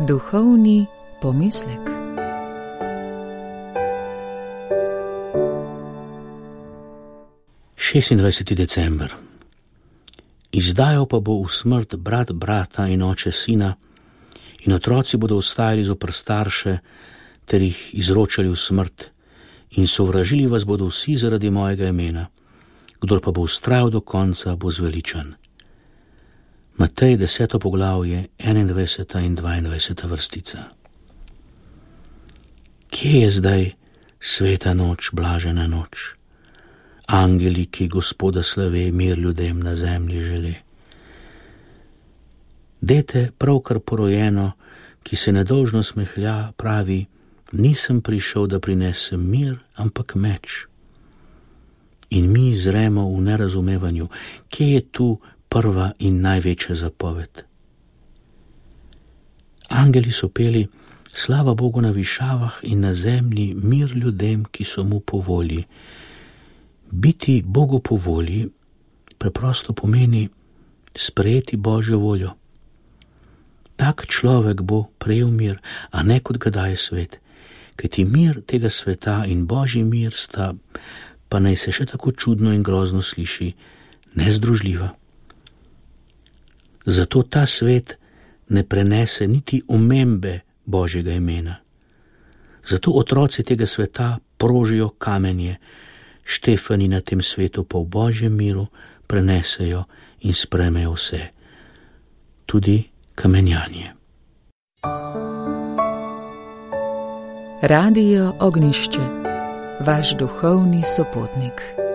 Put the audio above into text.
Duhovni pomislek. December. Izdajal pa bo v smrt brat brata in oče sina, in otroci bodo ostajali zoper starše, ter jih izročali v smrt, in sovražili vas bodo vsi zaradi mojega imena. Kdor pa bo vztrajal do konca, bo zveličan. Matej 10. poglavje, 21. in 22. vrstica. Kje je zdaj sveta noč, blažena noč? Angeli, ki Gospoda slave, mir ljudem na zemlji žele. Dete, pravkar porojeno, ki se nedolžno smehlja, pravi: nisem prišel, da prinesem mir, ampak meč. In mi zremo v nerazumevanju, kje je tu prva in največja zapoved. Angeli so peli: slava Bogu na višavah in na zemlji mir ljudem, ki so mu po volji. Biti Bogu po volji preprosto pomeni sprejeti Božjo voljo. Tak človek bo prejel mir, a ne kot ga daje svet, kajti mir tega sveta in Božji mir sta, pa naj se še tako čudno in grozno sliši, nezdružljiva. Zato ta svet ne prenese niti omembe Božjega imena. Zato otroci tega sveta prožijo kamenje, Štefani na tem svetu pa v Božjem miru prenesejo in sprejmejo vse, tudi kamenjanje. Radio Ognjišče, vaš duhovni sopotnik.